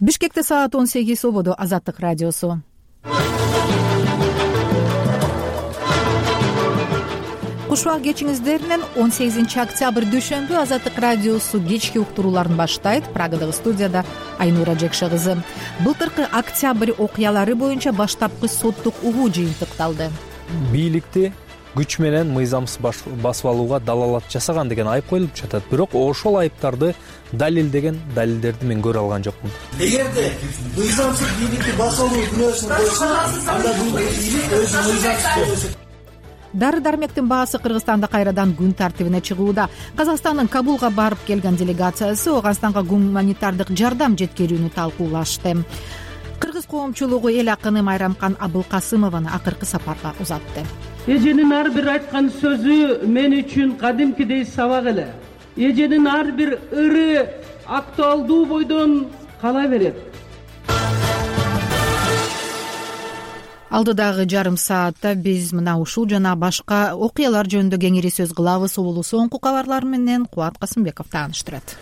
Бишкекте саат 18 ободо Азаттык радиосу. Кушбак кечиңиздеринен 18 октябрь дүйшөмбү Азаттык радиосу кечки уктурууларын баштайт. Прагадагы студияда Айнура Жекше кызы. Былтыркы октябрь окуялары боюнча баштапкы соттук угуу жыйынтыкталды. Бийликти күч менен мыйзамсыз басып алууга далалат жасаган деген айып коюлуп жатат. Бирок ошол айыптарды далилдеген далилдерди мен көрө алган жокмун. Эгерде мыйзамсыз бийликти басып алуу күнөөсүн койсо, анда бул бийлик өзү мыйзамсыз болот. Дары-дармектин баасы Кыргызстанда кайрадан күн тартибине чыгууда. Казакстандын Кабулга барып келген делегациясы Ооганстанга гуманитардык жардам жеткирүүнү талкуулашты. Кыргыз коомчулугу эл акыны Майрамкан Абылкасымованы акыркы сапарга узатты. Эженин ар бир айткан сөзү мен үчүн кадимкидей сабак эле. Эженин ар бир ыры актуалдуу бойдон кала берет. Алдыдагы жарым саатта биз мына ушул жана башка окуялар жөнүндө кеңири сөз кылабыз. Улуу соңку кабарлар менен Кубат Касымбеков тааныштырат.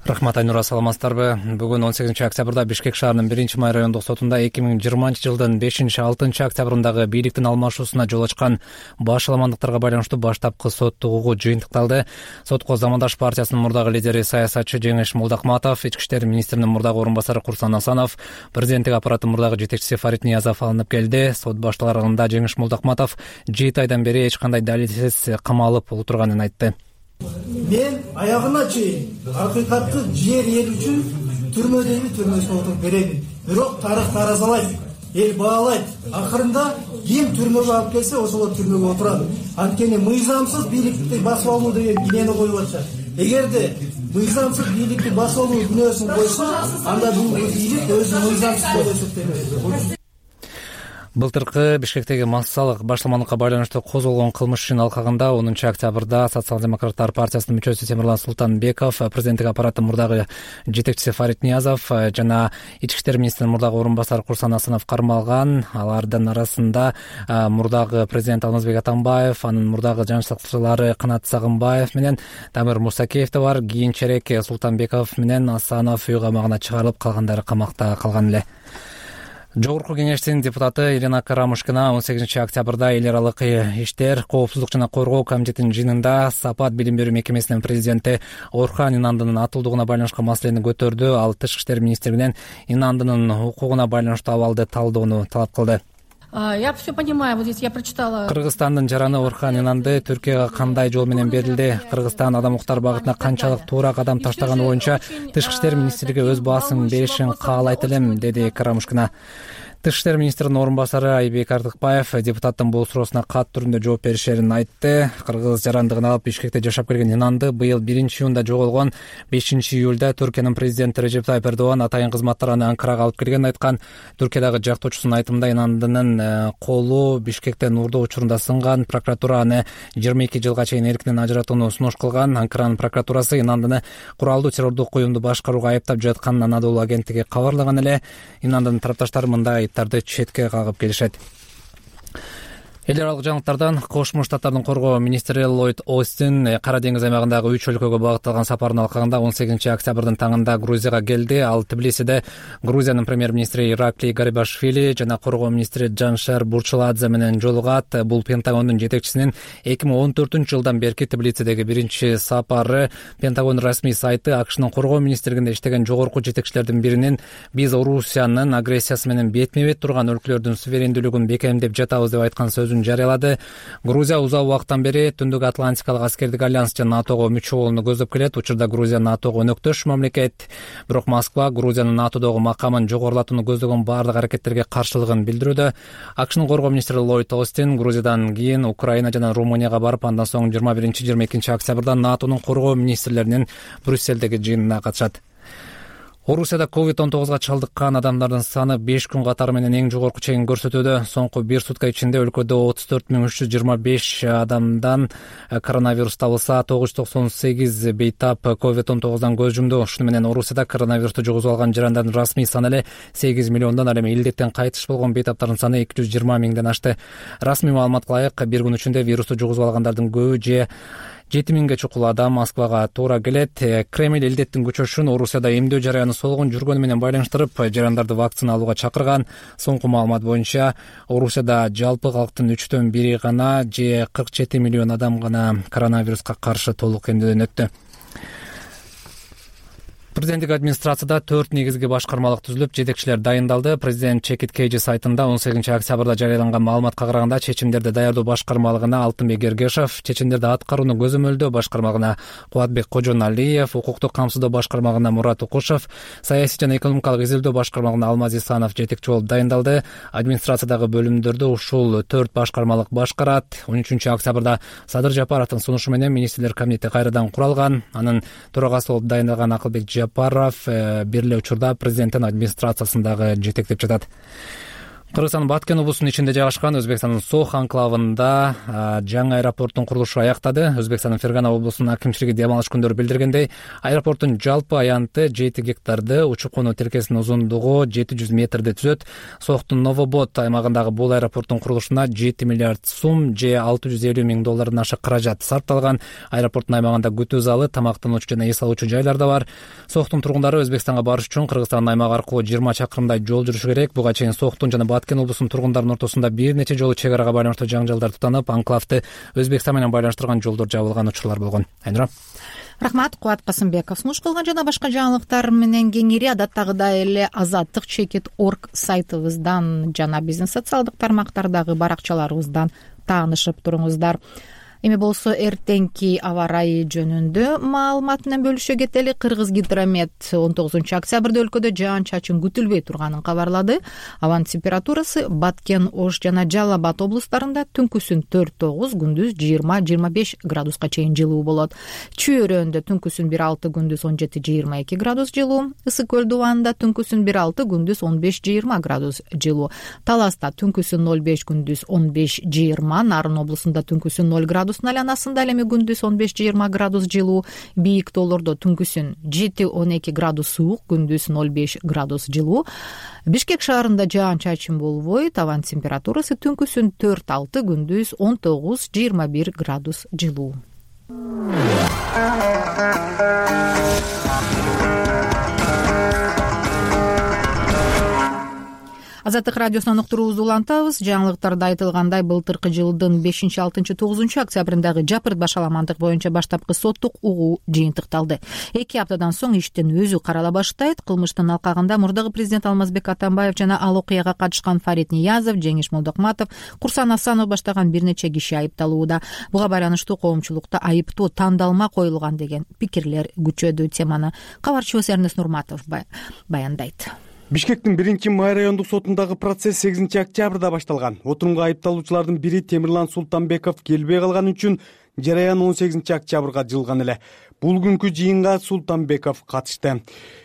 Рахмат, Айнура, саламатсыздарбы? Бүгүн 18 октябрда Бишкек шаарынын 1-май райондук сотунда 2020-жылдын 5-6 октябрындагы бийликтин алмашуусуна жол ачкан башаламандыктарга байланыштуу баштапкы соттук угуу жыйынтыкталды. Сотко Замандаш партиясынын мурдагы лидери саясатчы Жеңиш Молдокматов, Ички иштер министринин мурдагы орун басары Курсан Асанов, президенттик аппараттын мурдагы жетекчиси Фарид Ниязов алынып келди. Сот башталарында Жеңиш Молдокматов 7 айдан бери эч кандай далилсиз камалып отурганын айтты. Мен аягына чейин акыйкатты жер эл үчүн түрмөдөгү түрмөсүнө отуруп беремин. Бирок тарых таразалайт, эл баалайт. Акырында ким түрмөгө алып келсе, ошол түрмөгө отурат. Анткени мыйзамсыз бийликти басып алуу деген кинени коюп атышат. Эгерде мыйзамсыз бийликти басып алуу күнөөсүн койсо, анда бул бийлик өзү мыйзамсыз болуп эсептелет. Былтыркы Бишкектеги массалык башаламандыкка байланыштуу козголгон кылмыш ишинин алкагында 10 октябрда Социал-демократтар партиясынын мүчөсү Темирлан Султанбеков, президенттик аппараттын мурдагы жетекчиси Фарид Ниязов жана Ички иштер министринин мурдагы орун басары Курсан Асанов кармалган. Алардын арасында мурдагы президент Алмазбек Атамбаев, анын мурдагы жан сакчылары Канат Сагынбаев менен Дамир Мусакеев да бар. Кийинчерээк Султанбеков менен Асанов үй камагына чыгарылып, калгандары камакта калган эле. Жогорку кеңештин депутаты Ирина Карамушкина 18 октябрда эл аралык иштер, коопсуздук жана коргоо комитетинин жыйынында Сапат билим берүү мекемесинин президенти Орхан Инандынын атылдыгына байланышкан маселени көтөрдү. Ал Тышкы иштер министрлигинен Инандынын укугуна байланыштуу абалды талдоону талап кылды. Я все понимаю, вот здесь я прочитала. Кыргызстандын жараны Орхан Инанды Түркияга кандай жол менен берилди? Кыргызстан адам укуктары багытына канчалык туура кадам таштаганы боюнча Тышкы иштер министрлиги өз баасын беришин каалайт элем, деди Карамушкина. Тышкы иштер министринин орун басары Айбек Артыкбаев депутаттын бул суроосуна кат түрүндө жооп беришерин айтты. Кыргыз жарандыгын алып Бишкекте жашап келген Инанды быйыл 1-июнда жоголгон. 5-июлда Түркиянын президенти Режеп Тайып Эрдоган атайын кызматтар аны Анкарага алып келгенин айткан. Түркиядагы жактоочусунун айтымында Инандынын колу Бишкектен уурдоо учурунда сынган. Прокуратура аны 22 жылга чейин эркинен ажыратууну сунуш кылган. Анкаранын прокуратурасы Инандыны куралдуу террордук уюмду башкарууга айыптап жатканын Анадолу агенттиги кабарлаган эле. Инандынын тарапташтары мындай четке кагып келишет. Эл аралык жаңылыктардан Кошмо Штаттардын коргоо министри Ллойд Остин Кара деңиз аймагындагы 3 өлкөгө багытталган сапарынын алкагында 18 октябрдын таңында Грузияга келди. Ал Тбилисиде Грузиянын премьер-министри Иракли Гарибашвили жана коргоо министри Жаншер Бурчуладзе менен жолугат. Бул Пентагондун жетекчисинин 2014-жылдан берки Тбилисидеги биринчи сапары. Пентагон расмий сайты АКШнын коргоо министрлигинде иштеген жогорку жетекчилердин биринин биз Орусиянын агрессиясы менен бетме-бет турган өлкөлөрдүн суверендүүлүгүн бекемдеп жатабыз деп айткан сөзүн жарыялады. Грузия узак убакыттан бери Түндүк Атлантикалык аскердик альянс жана НАТОго мүчө болууну көздөп келет. Учурда Грузия НАТОго өнөктөш мамлекет. Бирок Москва Грузиянын НАТОдогу макамын жогорулатууну көздөгөн баардык аракеттерге каршылыгын билдирүүдө. АКШнын коргоо министри Ллойд Остин Грузиядан кийин Украина жана Румынияга барып, андан соң 21-22 октябрда НАТОнун коргоо министрлеринин Брюссельдеги жыйынына катышат. Орусияда COVID-19 чалдыккан адамдардын саны 5 күн катары менен эң жогорку чегин көрсөтүүдө. Соңку 1 сутка ичинде өлкөдө 34.325 адамдан коронавирус табылса, 998 бейтап COVID-19 көз жумду. Ушуну менен Орусияда коронавирусту жугузуп алган жарандардын расмий саны эле 8 миллиондон, ал эми илдеттен кайтыш болгон бейтаптардын саны 220 миңден ашты. Расмий маалыматка ылайык, бир күн ичинде вирусту жугузуп алгандардын көбү же 7000 чукул адам Москвага туура келет. Кремль илдеттин күчөшүн Орусияда эмдөө жараяны солгон жүргөнү менен байланыштырып, жарандарды вакцина алууга чакырган. Соңку маалымат боюнча Орусияда жалпы калктын 1/3 гана же 47 миллион адам гана коронавируска каршы толук эмдөөдөн өттү. Президенттик администрацияда 4 негизги башкармалык түзүлүп, жетекчилер дайындалды. Президент Чекит Кейжи сайтында 18 октябрда жарыяланган маалыматка караганда чечимдерди даярдоо башкармалыгына Алтынбек Эргешов, чечимдерди аткарууну көзөмөлдөө башкармалыгына Кубатбек Кожоналиев, укуктук камсыздоо башкармалыгына Мурат Укушев, саясий жана экономикалык изилдөө башкармалыгына Алмаз Исанов жетекчи болуп дайындалды. Администрациядагы бөлүмдөрдү ушул 4 башкармалык башкарат. 13 октябрда Садыр Жапаровдун сунушу менен министрлер кабинети кайрадан куралган. Анын төрагасы болуп дайындалган Акылбек Жапаров бир эле учурда президенттин администрациясындагы жетектеп жатат. Кыргызстандын Баткен облусунун ичинде жайгашкан Өзбекстандын Сох анклавында жаңы аэропорттун курулушу аяктады. Өзбекстандын Фергана облусунун акимчилиги дем алыш күндөрү билдиргендей, аэропорттун жалпы аянты 7 гектарды, учуп-конуу тиркесинин узундугу 700 метрди түзөт. Сохтун Новобод аймагындагы бул аэропорттун курулушуна 7 миллиард сум же $650 миң ашык каражат сарпталган. Аэропорттун аймагында күтүү залы, тамактануучу жана эс алуучу жайлар да бар. Сохтун тургундары Өзбекстанга барыш үчүн Кыргызстандын аймагы аркылуу 20 чакырымдай жол жүрүшү керек. Буга чейин Сохтун жана Баткен облусунун тургундарынын ортосунда бир нече жолу чек арага байланыштуу жаңжалдар тутанып, анклавды Өзбекстан менен байланыштырган жолдор жабылган учурлар болгон. Айнура. Рахмат, Кубат Касымбеков. Сунуш кылган жана башка жаңылыктар менен кеңири адаттагыдай эле Азаттык Чекит.org сайтыбыздан жана биздин социалдык тармактардагы баракчаларыбыздан таанышып туруңуздар. Эми болсо эртеңки аба ырайы жөнүндө маалымат менен бөлүшө кетели. Кыргызгидромет 19 октябрда өлкөдө жаан-чачын күтүлбөй турганын кабарлады. Абанын температурасы Баткен, Ош жана Жалал Абад облустарында түнкүсүн 4-9, күндүз 20-25 градуска чейин жылуу болот. Чүй өрөөнүндө түнкүсүн 1-6, күндүз 17-22 градус жылуу. Ысык көл дубанында түнкүсүн 1-6, күндүз 15-20 градус жылуу. Таласта түнкүсүн 0-5, күндүз 15-20, Нарын облусунда түнкүсүн 0 градус айланасында, эми күндүз 15-20 градус жылуу. Бийик тоолордо түнкүсүн 7-12 градус суук, күндүз 0-5 градус жылуу. Бишкек шаарында жаан-чачын болбойт. Абан температурасы түнкүсүн 4-6, күндүз 19-21 градус жылуу. Азаттык радиосунан уктуруубузду улантабыз. Жаңылыктарда айтылгандай, былтыркы жылдын 5-6-9 октябрындагы жапырт башаламандык боюнча баштапкы соттук угуу жыйынтыкталды. 2 аптадан соң иштин өзү карала баштайт. Кылмыштын алкагында мурдагы президент Алмазбек Атамбаев жана ал окуяга катышкан Фарид Ниязов, Жеңиш Молдокматов, Курсан Асанов баштаган бир нече киши айыпталууда. Буга байланыштуу коомчулукта айыптоо тандалма коюлган деген пикирлер күчөдү. Теманы кабарчыбыз Эрнест Нурматов баяндайт. Бишкектин 1-май райондук сотундагы процесс 8 октябрда башталган. Отурумга айыпталуучулардын бири Темирлан Султанбеков келбей калганы үчүн жараян 18 октябрга жылган эле. Бул күнкү жыйынга Султанбеков катышты.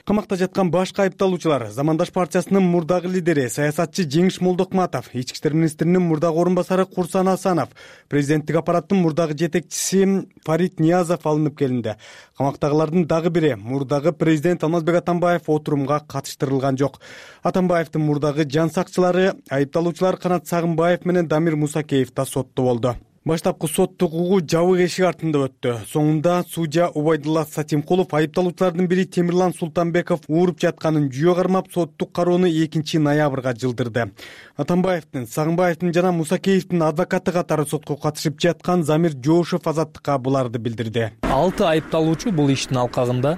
Камакта жаткан башка айыпталуучулар Замандаш партиясынын мурдагы лидери саясатчы Жеңиш Молдокматов, ички иштер министринин мурдагы орун басары Курсан Асанов, президенттик аппараттын мурдагы жетекчиси Фарид Ниязов алынып келинди. Камактагылардын дагы бири мурдагы президент Алмазбек Атамбаев отурумга катыштырылган жок. Атамбаевдин мурдагы жан сакчылары айыпталуучулар Канат Сагынбаев менен Дамир Мусакеев да сотто болду. Баштапкы соттук угуу жабык эшик артында өттү. Соңунда судья Убайдулла Сатимкулов айыпталуучулардын бири Темирлан Султанбеков ууруп жатканын жүйө кармап соттук кароону 2 ноябрга жылдырды. Атамбаевдин, Сагынбаевдин жана Мусакеевдин адвокаты катары сотко катышып жаткан Замир Жоошев азаттыкка буларды билдирди. 6 айыпталуучу бул иштин алкагында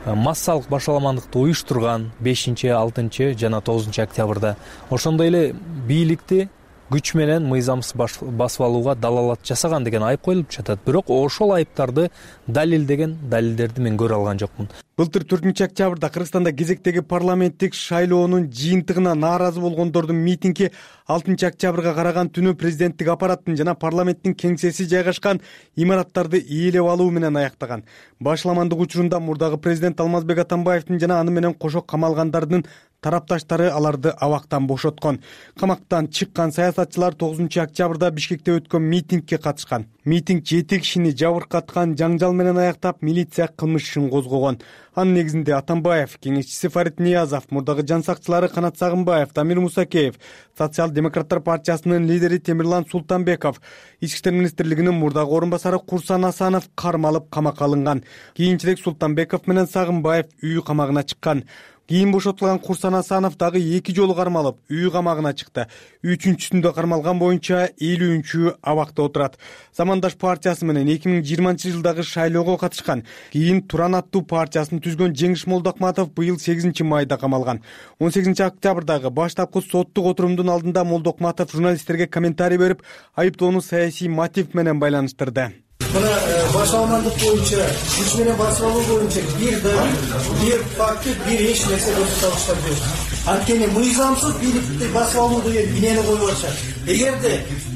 массалык башаламандыкты уюштурган 5, 6 жана 9 октябрда, ошондой эле бийликти күч менен мыйзамсыз басып алууга далалат жасаган деген айып коюлуп жатат. Бирок ошол айыптарды далилдеген далилдерди мен көрө алган жокмун. Былтыр 4 октябрда Кыргызстанда кезектеги парламенттик шайлоонун жыйынтыгына нааразы болгондордун митинги 6 октябрга караган түнү президенттик аппараттын жана парламенттин кеңсеси жайгашкан имараттарды ээлеп алуу менен аяктаган. Башаламандык учурунда мурдагы президент Алмазбек Атамбаевдин жана аны менен кошо камалгандардын тарапташтары аларды абактан бошоткон. Камактан чыккан саясатчылар 9-октябрда Бишкекте өткөн митингге катышкан. Митинг 7 кишини жабыркаткан жаңжал менен аяктап, милиция кылмыш ишин козгогон. Анын негизинде Атамбаев, кеңешчиси Фарид Ниязов, мурдагы жан сакчылары Канат Сагынбаев, Дамир Мусакеев, Социал-демократтар партиясынын лидери Темирлан Султанбеков, Ички иштер министрлигинин мурдагы орун басары Курсан Асанов кармалып камакка алынган. Кийинчерээк Султанбеков менен Сагынбаев үй камагына чыккан. Кийин бошотулган Курсан Асанов дагы 2 жолу кармалып, үй камагына чыкты. 3-сүндө кармалган боюнча 50-чү абакта отурат. Замандаш партиясы менен 2020-жылдагы шайлоого катышкан. Кийин Туран аттуу партиясын түзгөн Жеңиш Молдокматов быйыл 8-майда камалган. 18-октябрдагы баштапкы соттук отурумдун алдында Молдокматов журналисттерге комментарий берип, айыптоону саясий мотив менен байланыштырды. Мына башаламандык боюнча, күч менен басып алуу боюнча бир далил, бир факты, бир эч нерсе көрсөтүп жок. Анткени мыйзамсыз бийликти басып алуу деген бинени коюп атышат. Эгерде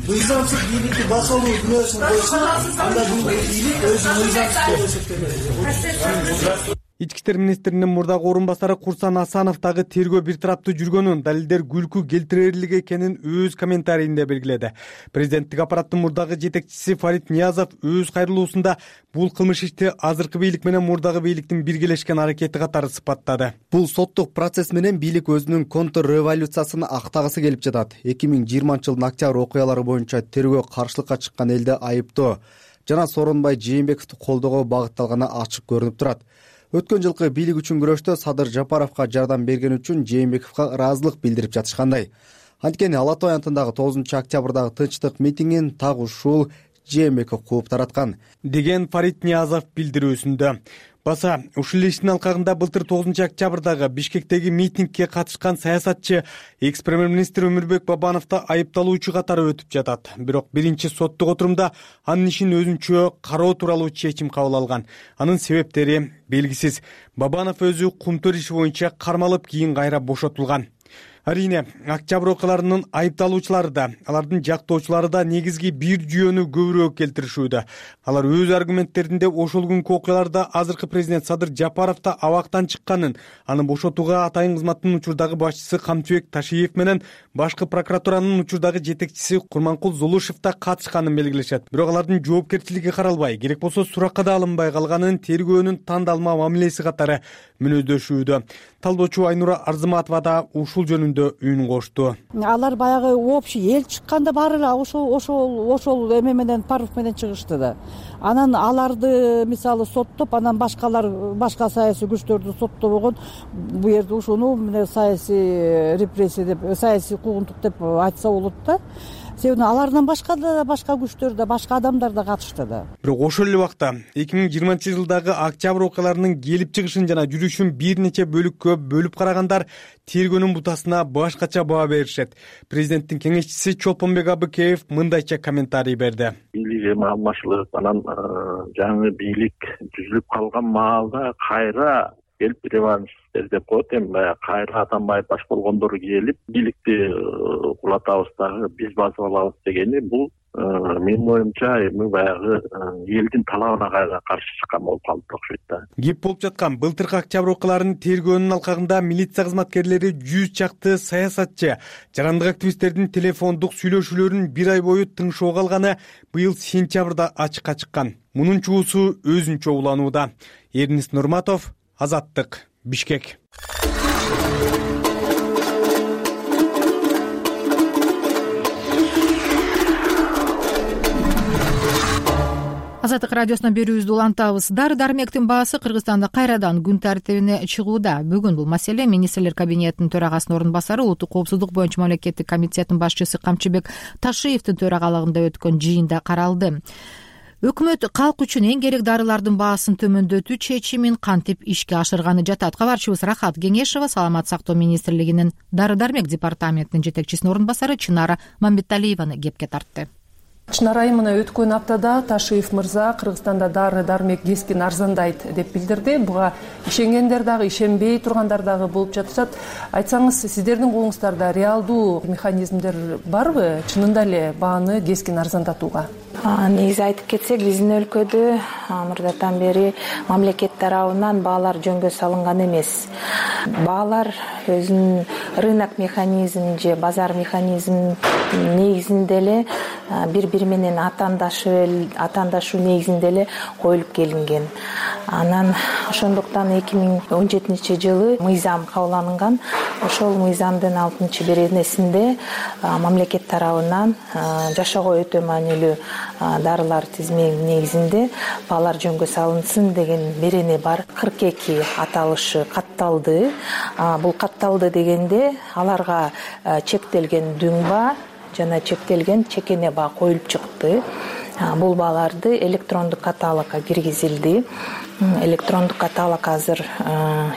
мыйзамсыз бийликти басып алуу күнөөсүн койсо, анда бул бийлик өзү мыйзамсыз болуп эсептелет. Ички иштер министринин мурдагы орун басары Курсан Асанов дагы тергөө бир тараптуу жүргөнүн, далилдер күлкү келтирерлик экенин өз комментарийинде белгиледи. Президенттик аппараттын мурдагы жетекчиси Фарид Ниязов өз кайрылуусунда бул кылмыш ишти азыркы бийлик менен мурдагы бийликтин биргелешкен аракети катары сыпаттады. Бул соттук процесс менен бийлик өзүнүн контрреволюциясын актагысы келип жатат. 2020-жылдын октябрь окуялары боюнча тергөө каршылыкка чыккан элди айыптоо жана Сооронбай Жээнбековду колдоого багытталганы ачык көрүнүп турат. Өткөн жылкы бийлик үчүн күрөштө Садыр Жапаровго жардам берген үчүн Жээнбековго ыраазылык билдирип жатышкандай. Анткени Ала Той антындагы 9-октябрдагы тынчтык митингин так ушул Жээнбеков кууп тараткан, деген Фарид Ниязов билдирүүсүндө. Баса, ушул иштин алкагында былтыр 9-октябрдагы Бишкектеги митингге катышкан саясатчы экс-премьер-министр Өмүрбек Бабановду айыпталуучу катары өтүп жатат. Бирок биринчи соттук отурумда анын ишин өзүнчө кароо тууралуу чечим кабыл алган. Анын себептери белгисиз. Бабанов өзү кумтөр иши боюнча кармалып, кийин кайра бошотулган. Арине, октябрь окуяларынын айыпталуучулары да, алардын жактоочулары да негизги бир жүйөнү көбүрөөк келтиришүүдө. Алар өз аргументтеринде ошол күнкү окуяларда азыркы президент Садыр Жапаровду абактан чыкканын, аны бошотууга Атайын кызматтын учурдагы башчысы Камчыбек Ташиев менен башкы прокуратуранын учурдагы жетекчиси Курманкул Зулушев да катышканын белгилешет. Бирок алардын жоопкерчилиги каралбай, керек болсо суракка да алынбай калганын тергөөнүн тандалма мамилеси катары мүнөздөшүүдө. Талдоочу Айнура Арзыматова да ушул жөнүндө үн кошту. Алар баягы общий эл чыкканда баары эле ошол эме менен паров менен чыгышты да. Анан аларды мисалы соттоп, анан башка саясий күчтөрдү соттобогон, бу жерде ушуну саясий репрессия деп, саясий куугунтук деп айтса болот да. Себеби алардан башка да башка күчтөр да, башка адамдар да катышты да. Бирок ошол эле убакта 2020-жылдагы октябрь окуяларынын келип чыгышын жана жүрүшүн бир нече бөлүккө бөлүп карагандар тергөөнүн бутасына башкача баа беришет. Президенттин кеңешчиси Чолпонбек Абыкеев мындайча комментарий берди. Бийлик эми алмашылып, анан жаңы бийлик түзүлүп калган маалда кайра келип реваншистер деп коет, эми баягы кайра Атамбаев баш болгондор келип бийликти кулатабыз дагы, биз басып алабыз дегени бул менин оюмча эми баягы элдин талабына каршы чыккан болуп калды окшойт да. Кеп болуп жаткан былтыркы октябрь окуяларынын тергөөнүнүн алкагында милиция кызматкерлери 100 чакты саясатчы, жарандык активисттердин телефондук сүйлөшүүлөрүн бир ай бою тыңшоого алганы быйыл сентябрда ачыкка чыккан. Мунун чуусу өзүнчө уланууда. Эрнис Нурматов, Азаттык, Бишкек. Азаттык радиосунан берүүбүздү улантабыз. Дары-дармектин баасы Кыргызстанда кайрадан күн тартибине чыгууда. Бүгүн бул маселе министрлер кабинетинин төрагасынын орун басары, улуттук коопсуздук боюнча мамлекеттик комитеттин башчысы Камчыбек Ташиевдин төрагалыгында өткөн жыйында каралды. Өкмөт калк үчүн эң керек дарылардын баасын төмөндөтүү чечимин кантип ишке ашырганы жатат. Кабарчыбыз Рахат Кеңешова Саламаттык сактоо министрлигинин дары-дармек департаментинин жетекчисинин орун басары Чынара Мамбеталиеваны кепке тартты. Чынар айым, мына өткөн аптада Ташиев мырза Кыргызстанда дары дармек кескин арзандайт деп билдирди. Буга ишенгендер дагы, ишенбей тургандар дагы болуп жатышат. Айтсаңыз, сиздердин колуңуздарда реалдуу механизмдер барбы чынында эле бааны кескин арзандатууга? Негизи айтып кетсек, биздин өлкөдө мурдатан бери мамлекет тарабынан баалар жөнгө салынган эмес. Баалар өзүнүн рынок механизм же базар механизм негизинде эле бири менен атаандашуу негизинде эле коюлуп келинген. Анан ошондуктан 2017-жылы мыйзам кабыл алынган. Ошол мыйзамдын 6-беренесинде мамлекет тарабынан жашоого өтө маанилүү дарылар тизмеги негизинде баалар жөнгө салынсын деген берене бар. 42 аталышы катталды. Бул катталды дегенде аларга чектелген дүң баа жана чектелген чекене баа коюлуп чыкты. Бул бааларды электрондук каталогко киргизилди. Электрондук каталог азыр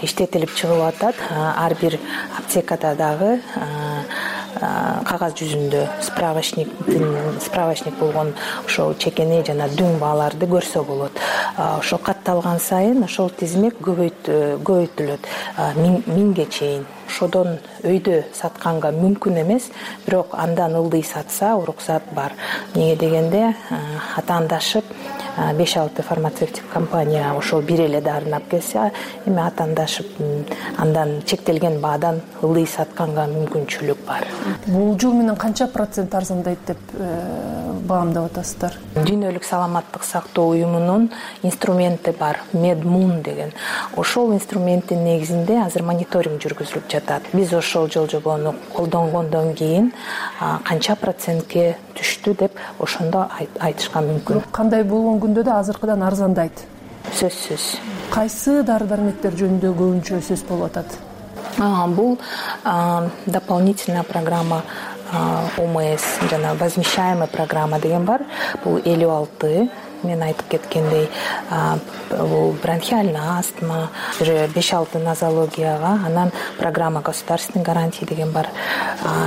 иштетилип чыгып атат. Ар бир аптекада дагы кагаз жүзүндө справочник болгон ошол чекене жана дүң бааларды көрсө болот. Ошо катталган сайын ошол тизмек көбөйтүлөт, 1000ге чейин. Ошодон өйдө сатканга мүмкүн эмес, бирок андан ылдый сатса уруксат бар. Эмне дегенде атаандашып 5-6 фармацевтик компания ошол бир эле дарыны алып келсе, эми атаандашып андан чектелген баадан ылдый сатканга мүмкүнчүлүк бар. Бул жыл менен канча процент арзандайт деп баамдап атасыздар? Дүйнөлүк саламаттык сактоо уюмунун инструменти бар, Медмун деген. Ошол инструменттин негизинде азыр мониторинг жүргүзүлүп жатат. Биз ошол жолжобону колдонгондон кийин канча процентке түштү деп ошондо айтышка мүмкүн. Кандай болгон күндө да азыркыдан арзандайт? Сөзсүз. Кайсы дары-дармектер жөнүндө көбүнчө сөз болуп атат? Бул дополнительная программа ОМС жана возмещаемая программа деген бар. Бул 56 мен айтып кеткендей, бул бронхиальная астма, 5-6 нозологияга, анан программа государственной гарантии деген бар.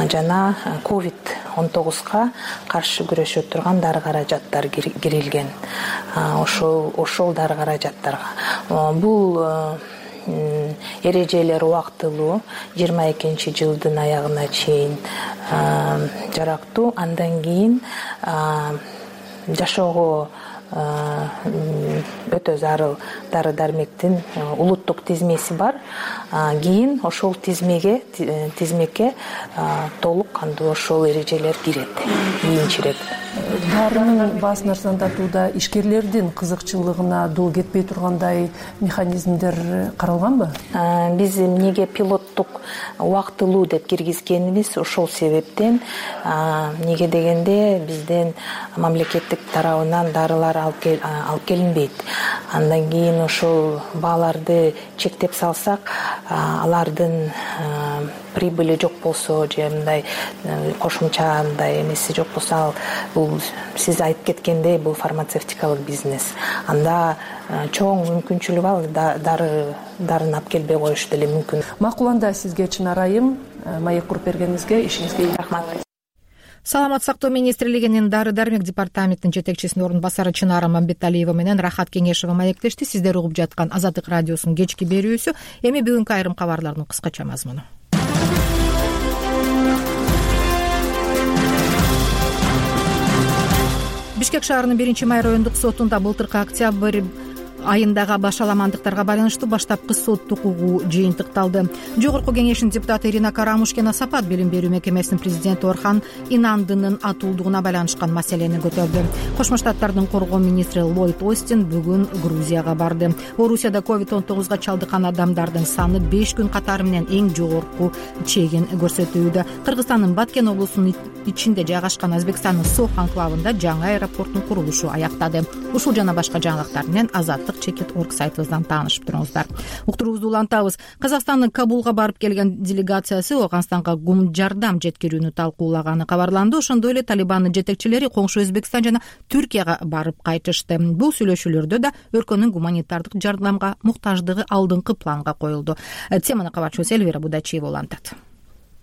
Жана COVID-19га каршы күрөшө турган дары каражаттар кирилген. Ошол дары каражаттарга. Бул эрежелер убактылуу 22-жылдын аягына чейин жарактуу. Андан кийин жашоого өтө зарыл дары-дармектин улуттук тизмеси бар. Кийин ошол тизмекке толук кандуу ошол эрежелер кирет кийинчерээк. Дарынын баасын арзандатууда ишкерлердин кызыкчылыгына дол кетпей тургандай механизмдер каралганбы? Биз эмнеге пилоттук убактылуу деп киргизгенибиз ошол себептен. Эмнеге дегенде бизден мамлекеттик тарабынан дарылар алып келинбейт. Андан кийин ошол бааларды чектеп салсак, алардын прибыли жок болсо же мындай кошумча мындай эмеси жок болсо, бул сиз айтып кеткендей бул фармацевтикалык бизнес. Анда чоң мүмкүнчүлүк бар, дарын алып келбей коюш деле мүмкүн. Макул, анда сизге Чынар айым маек куруп бергениңизге, ишиңизге рахмат. Саламаттык сактоо министрлигинин дары-дармек департаментинин жетекчисинин орун басары Чынар Мамбеталиева менен Рахат Кеңешова маектешти. Сиздер угуп жаткан Азаттык радиосунун кечки берүүсү. Эми бүгүнкү айрым кабарлардын кыскача мазмуну. Бишкек шаарынын 1-май райондук сотунда былтыркы октябрь айындагы башаламандыктарга байланыштуу баштапкы соттук угуу жыйынтыкталды. Жогорку кеңештин депутаты Ирина Карамушкина Сапат билим берүү мекемесинин президенти Орхан Инандынын атуулдугуна байланышкан маселени көтөрдү. Кошмо Штаттардын коргоо министри Ллойд Остин бүгүн Грузияга барды. Орусияда COVID-19га чалдыккан адамдардын саны 5 күн катары менен эң жогорку чегин көрсөтүүдө. Кыргызстандын Баткен облусунун ичинде жайгашкан Өзбекстандын Сох анклавында жаңы аэропорттун курулушу аяктады. Ушул жана башка жаңылыктар менен Азаттык.org сайтыбыздан таанышып туруңуздар. Уктуруубузду улантабыз. Казакстандын Кабулга барып келген делегациясы Ооганстанга гум жардам жеткирүүнү талкуулаганы кабарланды. Ошондой эле Талибандын жетекчилери коңшу Өзбекстан жана Түркияга барып кайтышты. Бул сүйлөшүүлөрдө да өлкөнүн гуманитардык жардамга муктаждыгы алдыңкы планга коюлду. Теманы кабарчыбыз Эльвира Будачиева улантат.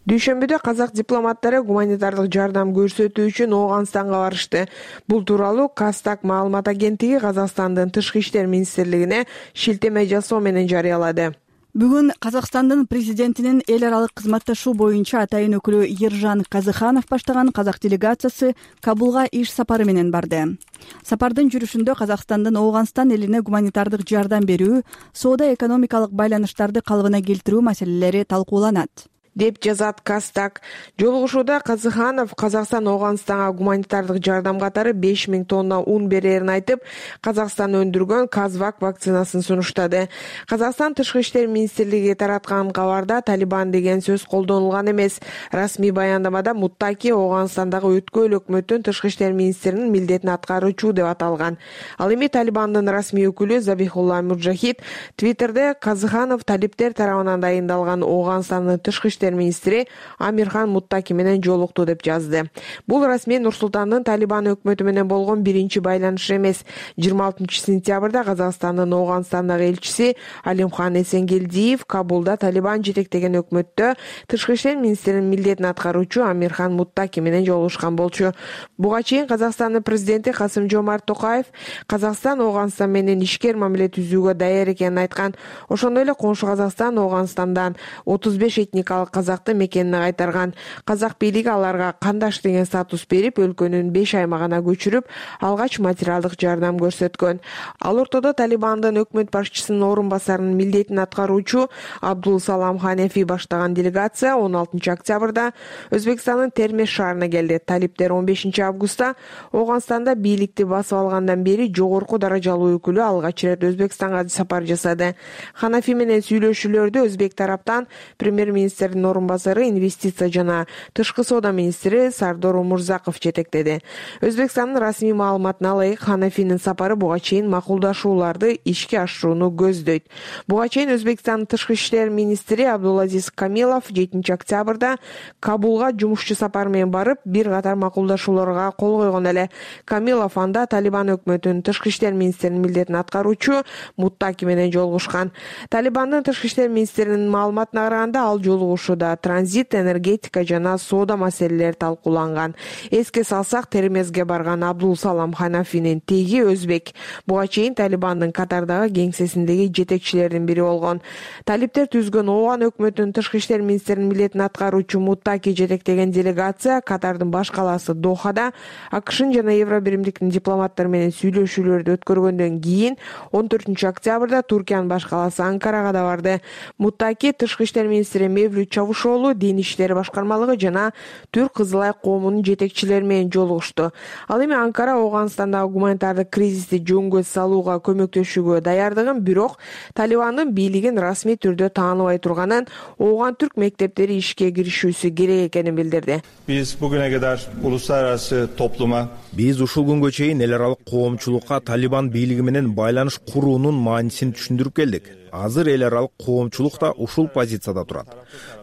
Дүйшөмбүдө казак дипломаттары гуманитардык жардам көрсөтүү үчүн Ооганстанга барышты. Бул тууралуу Кастак маалымат агенттиги Казакстандын Тышкы иштер министрлигине шилтеме жасоо менен жарыялады. Бүгүн Казакстандын президентинин эл аралык кызматташуу боюнча атайын өкүлү Ержан Казыханов баштаган казак делегациясы Кабулга иш сапары менен барды. Сапардын жүрүшүндө Казакстандын Ооганстан элине гуманитардык жардам берүү, соода-экономикалык байланыштарды калыбына келтирүү маселелери талкууланат, деп жазат Кастак. Жолугушууда Казыханов Казакстан Ооганстанга гуманитардык жардам катары 5000 тонна ун берерин айтып, Казакстан өндүргөн Казвак вакцинасын сунуштады. Казакстан Тышкы иштер министрлиги тараткан кабарда Талибан деген сөз колдонулган эмес. Расмий баяндамада Муттаки Ооганстандагы өткөн өкмөттүн Тышкы иштер министринин милдетин аткаруучу деп аталган. Ал эми Талибандын расмий өкүлү Забихулла Муджахид Твиттерде Казыханов талиптер тарабынан дайындалган Ооганстандын Тышкы иштер министри Амирхан Муттаки менен жолукту деп жазды. Бул расмий Нур-Султандын Талибан өкмөтү менен болгон биринчи байланыш эмес. 26 сентябрда Казакстандын Ооганстандагы элчиси Алимхан Эсенгелдиев Кабулда Талибан жетектеген өкмөттө Тышкы иштер министринин милдетин аткаруучу Амирхан Муттаки менен жолугушкан болчу. Буга чейин Казакстандын президенти Касым-Жомарт Токаев Казакстан Ооганстан менен ишкер мамиле түзүүгө даяр экенин айткан. Ошондой эле коңшу Казакстан Ооганстандан 35 этникалык казакты мекенине кайтарган. Казак бийлиги аларга кандаш деген статус берип, өлкөнүн 5 аймагына көчүрүп, алгач материалдык жардам көрсөткөн. Ал ортодо Талибандын өкмөт башчысынын орун басарынын милдетин аткаруучу Абдул Салам Ханефи баштаган делегация 16 октябрда Өзбекстандын Термеш шаарына келди. Талиптер 15 августта Ооганстанда бийликти басып алгандан бери жогорку даражалуу өкүлү алгач ирет Өзбекстанга сапар жасады. Ханафи менен сүйлөшүүлөрдү өзбек тараптан премьер-министрдин орун басары, инвестиция жана тышкы соода министри Сардор Умурзаков жетектеди. Өзбекстандын расмий маалыматына ылайык, Ханафинин сапары буга чейин макулдашууларды ишке ашырууну көздөйт. Буга чейин Өзбекстандын тышкы иштер министри Абдулазиз Камилов 7 октябрда Кабулга жумушчу сапар менен барып, бир катар макулдашууларга кол койгон эле. Камилов анда Талибан өкмөтүнүн тышкы иштер министринин милдетин аткаруучу Муттаки менен жолугушкан. Талибандын тышкы иштер министринин маалыматына караганда, ал жолугушууда транзит, энергетика жана соода маселелери талкууланган. Эске салсак, Термезге барган Абдул Салам Ханафинин теги өзбек. Буга чейин Талибандын Катардагы кеңсесиндеги жетекчилердин бири болгон. Талиптер түзгөн Ооган өкмөтүнүн тышкы иштер министринин милдетин аткаруучу Муттаки жетектеген делегация Катардын баш калаасы Дохада АКШнын жана Евробиримдиктин дипломаттары менен сүйлөшүүлөрдү өткөргөндөн кийин 14 октябрда Туркиянын баш калаасы Анкарага да барды. Муттаки тышкы иштер министри Мевлют Чавушоолу, Дин иштери башкармалыгы жана Түрк Кызыл Ай коомунун жетекчилери менен жолугушту. Ал эми Анкара Ооганстандагы гуманитардык кризисти жөнгө салууга көмөктөшүүгө даярдыгын, бирок Талибандын бийлигин расмий түрдө тааныбай турганын, Ооган түрк мектептери ишке киришүүсү керек экенин билдирди. Биз бүгүнө кадар улуттарасы топлума биз ушул күнгө чейин эл аралык коомчулукка Талибан бийлиги менен байланыш куруунун маанисин түшүндүрүп келдик. Азыр эл аралык коомчулук да ушул позицияда турат.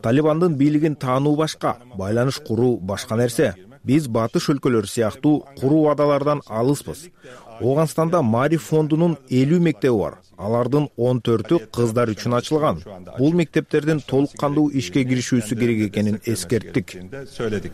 Талибандын бийлигин таануу башка, байланыш куруу башка нерсе. Биз батыш өлкөлөр сыяктуу куруу адалардан алыспыз. Ооганстанда Маариф фондунун 50 мектеби бар. Алардын 14-ü кыздар үчүн ачылган. Бул мектептердин толук кандуу ишке киришүүсү керек экенин эскерттик.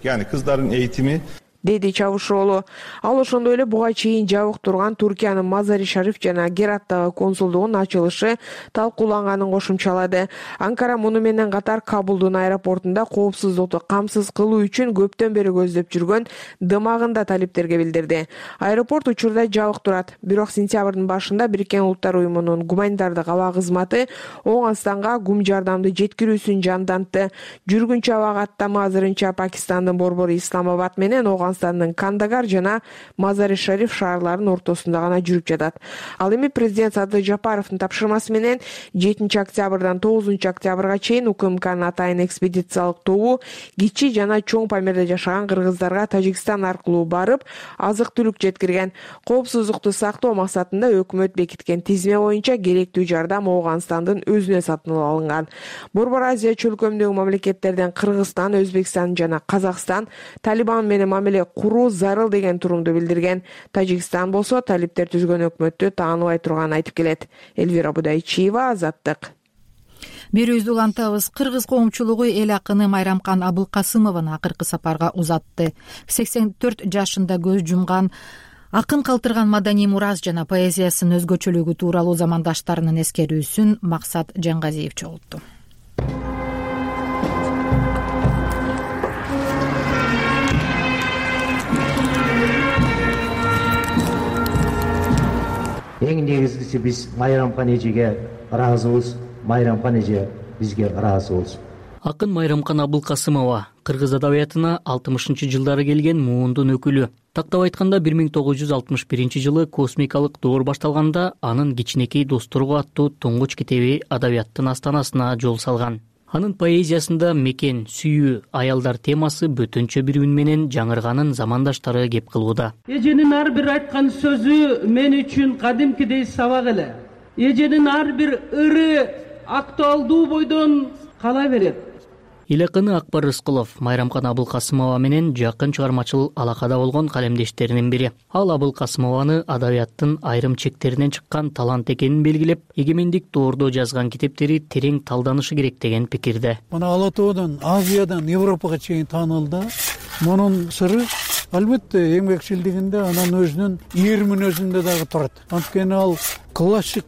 Yani kızların eğitimi деди Чавушоолу. Ал ошондой эле буга чейин жабык турган Туркиянын Мазари Шариф жана Гераттагы консулдугунун ачылышы талкууланганын кошумчалады. Анкара муну менен катар Кабулдун аэропортунда коопсуздукту камсыз кылуу үчүн көптөн бери көздөп жүргөн дымагын да талиптерге билдирди. Аэропорт учурда жабык турат. Бирок сентябрдын башында Бириккен Улуттар уюмунун гуманитардык аба кызматы Ооганстанга гум жардамды жеткирүүсүн жандантты. Жүргүнчү аба каттама азырынча Пакистандын Борбору Исламабад менен Ооганстандын Кандагар жана Мазари Шариф шаарларынын ортосунда гана жүрүп жатат. Ал эми президент Садыр Жапаровдун тапшырмасы менен 7 октябрдан 9 октябрга чейин УКМКнын атайын экспедициялык тобу кичи жана чоң Памирде жашаган кыргыздарга Тажикстан аркылуу барып, азык-түлүк жеткирген. Коопсуздукту сактоо максатында өкмөт бекиткен тизме боюнча керектүү жардам Ооганстандын өзүнө сатылып алынган. Борбор Азия чөлкөмүндөгү мамлекеттерден Кыргызстан, Өзбекстан жана Казакстан Талибан менен мамиле куруу зарыл деген турумду билдирген. Тажикстан болсо талиптер түзгөн өкмөттү тааныбай турганын айтып келет. Элвира Будайчиева, Азаттык. Берүүбүздү улантабыз. Кыргыз коомчулугу эл акыны Майрамкан Абылкасымовну акыркы сапарга узатты. 84 жашында көз жумган акын калтырган маданий мурас жана поэзиясынын өзгөчөлүгү тууралуу замандаштарынын эскерүүсүн Максат Жангазиев чогултту. Эң негизгиси биз Майрамкан эжеге ыраазыбыз, Майрамкан эже бизге ыраазы болсун. Акын Майрамкан Абылкасымова кыргыз адабиятына 60-жылдары келген муундун өкүлү. Тактап айтканда 1961-жылы космикалык доор башталганда анын Кичинекей досторго аттуу туңгуч китеби адабияттын астанасына жол салган. Анын поэзиясында мекен, сүйүү, аялдар темасы бөтөнчө бир үн менен жаңырганын замандаштары кеп кылууда. Эженин ар бир айткан сөзү мен үчүн кадимкидей сабак эле. Эженин ар бир ыры актуалдуу бойдон кала берет. Эл акыны Акбар Рыскулов Майрамкан Абылкасымова менен жакын чыгармачыл алакада болгон калемдештеринин бири. Ал Абылкасымованы адабияттын айрым чектеринен чыккан талант экенин белгилеп, эгемендик доордо жазган китептери терең талданышы керек деген пикирде. Мына Ала Тоодан, Азиядан Европага чейин таанылды. Мунун сыры албетте эмгекчилдигинде, анан өзүнүн эр мүнөзүндө дагы турат. Анткени ал классик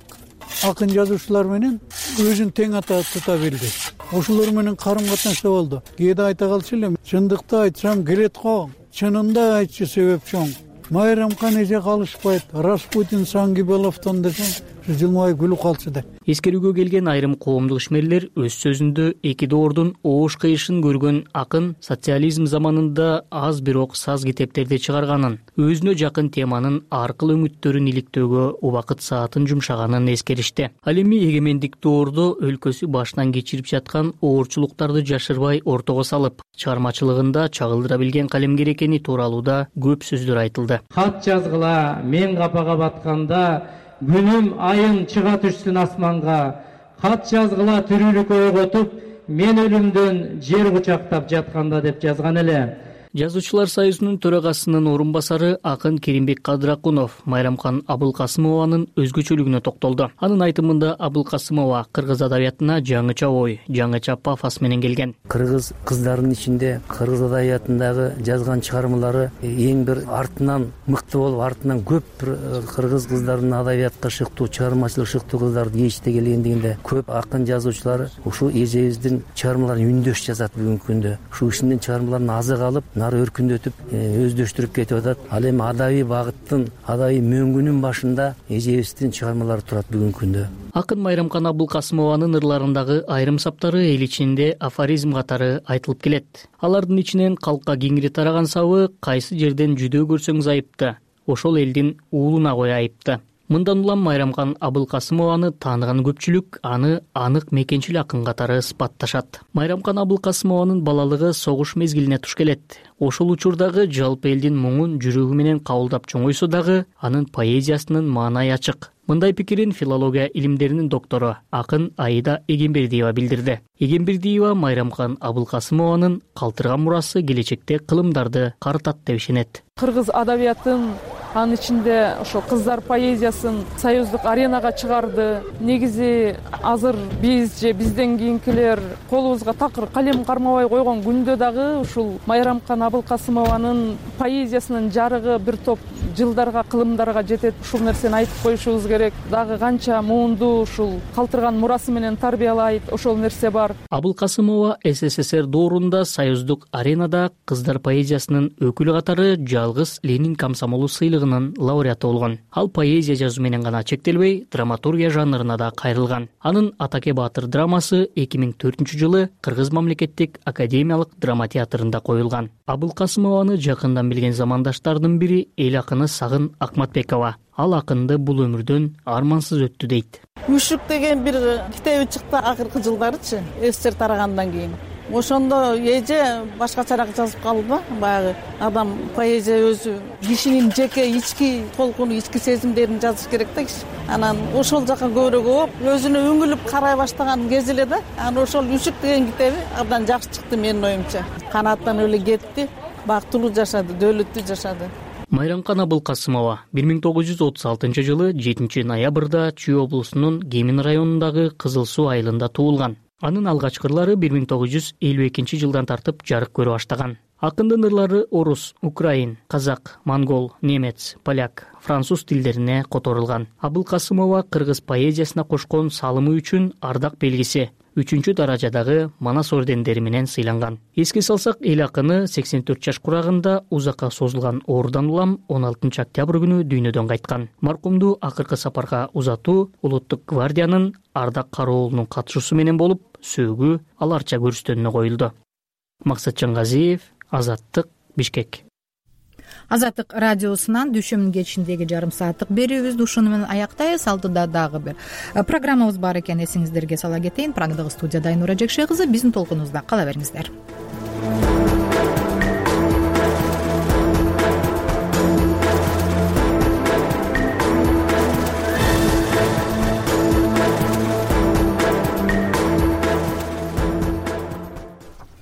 акын жазуучулар менен өзүн тең тута билди. Ошолор менен карым катнашта болду. Кээде айта калчу элем, чындыкты айтсам келет го, чынында айтчу себеп чоң. Майрамкан эже калышпайт, Распутин Сангибеловдон десең, жылмай күлүп калчу деп. Эскерүүгө келген айрым коомдук ишмерлер өз сөзүндө эки доордун оош кыйышын көргөн акын социализм заманында аз бирок саз китептерди чыгарганын, өзүнө жакын теманын аркыл өңүттөрүн иликтөөгө убакыт саатын жумшаганын эскеришти. Ал эми эгемендик доордо өлкөсү башынан кечирип жаткан оорчулуктарды жашырбай ортого салып, чыгармачылыгында чагылдыра билген калемгер экени тууралуу да көп сөздөр айтылды. Кат жазгыла, мен капага батканда, күнүм айым чыга түшсүн асманга. Кат жазгыла тирүүлүк ойготуп, мен өлүмдөн жер кучактап жатканда деп жазган эле. Жазуучулар союзунун төрагасынын орун басары акын Керимбек Кадыракунов Майрамкан Абылкасымованын өзгөчөлүгүнө токтолду. Анын айтымында Абылкасымова кыргыз адабиятына жаңыча ой, жаңыча пафос менен келген. Кыргыз кыздарынын ичинде кыргыз адабиятындагы жазган чыгармалары эң бир артынан мыкты болуп, артынан көп кыргыз кыздарынын адабиятка шыктуу, чыгармачылык шыктуу кыздарды кечте келгендигинде көп акын жазуучулар ушул эжебиздин чыгармаларын үндөш жазат бүгүнкү күндө. Ушул кишинин чыгармаларын азык алып, нары өркүндөтүп, өздөштүрүп кетип атат. Ал эми адабий багыттын, адабий мөңгүнүн башында эжебиздин чыгармалары турат бүгүнкү күндө. Акын Майрамкан Абылкасымованын ырларындагы айрым саптары эл ичинде афоризм катары айтылып келет. Алардын ичинен калкка кеңири тараган сабы кайсы жерден жүдөө көрсөңүз айыпты, ошол элдин уулуна кой айыпты. Мындан улам Майрамкан Абылкасымованы тааныган көпчүлүк аны анык мекенчил акын катары сыпатташат. Майрамкан Абылкасымованын балалыгы согуш мезгилине туш келет. Ошол учурдагы жалпы элдин муңун жүрөгү менен кабылдап чоңойсо дагы анын поэзиясынын маанайы ачык. Мындай пикирин филология илимдеринин доктору акын Аида Эгембердиева билдирди. Эгембердиева Майрамкан Абылкасымованын калтырган мурасы келечекте кылымдарды карытат деп ишенет. Кыргыз адабиятын, анын ичинде ошо кыздар поэзиясын союздук аренага чыгарды. Негизи азыр биз же бизден кийинкилер колубузга такыр калем кармабай койгон күндө дагы ушул Майрамкан Абылкасымованын поэзиясынын жарыгы бир топ жылдарга, кылымдарга жетет. Ушул нерсени айтып коюшубуз керек. Дагы канча муунду ушул калтырган мурасы менен тарбиялайт, ошол нерсе бар. Абылкасымова СССР доорунда союздук аренада кыздар поэзиясынын өкүлү катары жалгыз Ленин комсомолу сыйлыгынын лауреаты болгон. Ал поэзия жазуу менен гана чектелбей, драматургия жанрына да кайрылган. Анын Атаке Баатыр драмасы 2004-жылы Кыргыз мамлекеттик академиялык драма театрында коюлган. Абылкасымованы жакындан билген замандаштардын бири эл акыны Сагын Акматбекова. Ал акынды бул өмүрдөн армансыз өттү дейт. Үшүк деген бир китеби чыкты акыркы жылдарычы, СССР тарагандан кийин. Ошондо эже башкачараак жазып калды. Баягы адам поэзия өзү кишинин жеке ички толкуну, ички сезимдерин жазыш керек да киши. Анан ошол жака көбүрөөк болуп, өзүнө үңүлүп карай баштаган кези эле да. Анан ошол Үшүк деген китеби абдан жакшы чыкты менин оюмча. Канаттанып эле кетти, бактылуу жашады, дөөлөттүү жашады. Майрамкан Абылкасымова 1936-жылы 7 ноябрда Чүй облусунун Кемин районундагы Кызыл Суу айылында туулган. Анын алгачкы ырлары 1952 жылдан тартып жарык көрө баштаган. Акындын ырлары орус, украин, казак, монгол, немец, поляк, француз тилдерине которулган. Абылкасымова кыргыз поэзиясына кошкон салымы үчүн ардак белгиси 3-даражадагы Манас ордендери менен сыйланган. Эске салсак, эл акыны 84 жаш курагында узакка созулган оорудан улам 16 октябрь күнү дүйнөдөн кайткан. Маркумду акыркы сапарга узатуу Улуттук гвардиянын ардак кароолунун катышуусу менен болуп, сөөгү аларча көрүстөнүнө коюлду. Максат Чангазиев, Азаттык, Бишкек. Азаттык радиосунан дүйшөмүн кечиндеги жарым сааттык берүүбүздү ушуну менен аяктайбыз. Алдыда дагы бир программабыз бар экенин эсиңиздерге сала кетейин. Программадагы студияда Айнура Жекше кызы, биздин толкунубузда кала бериңиздер.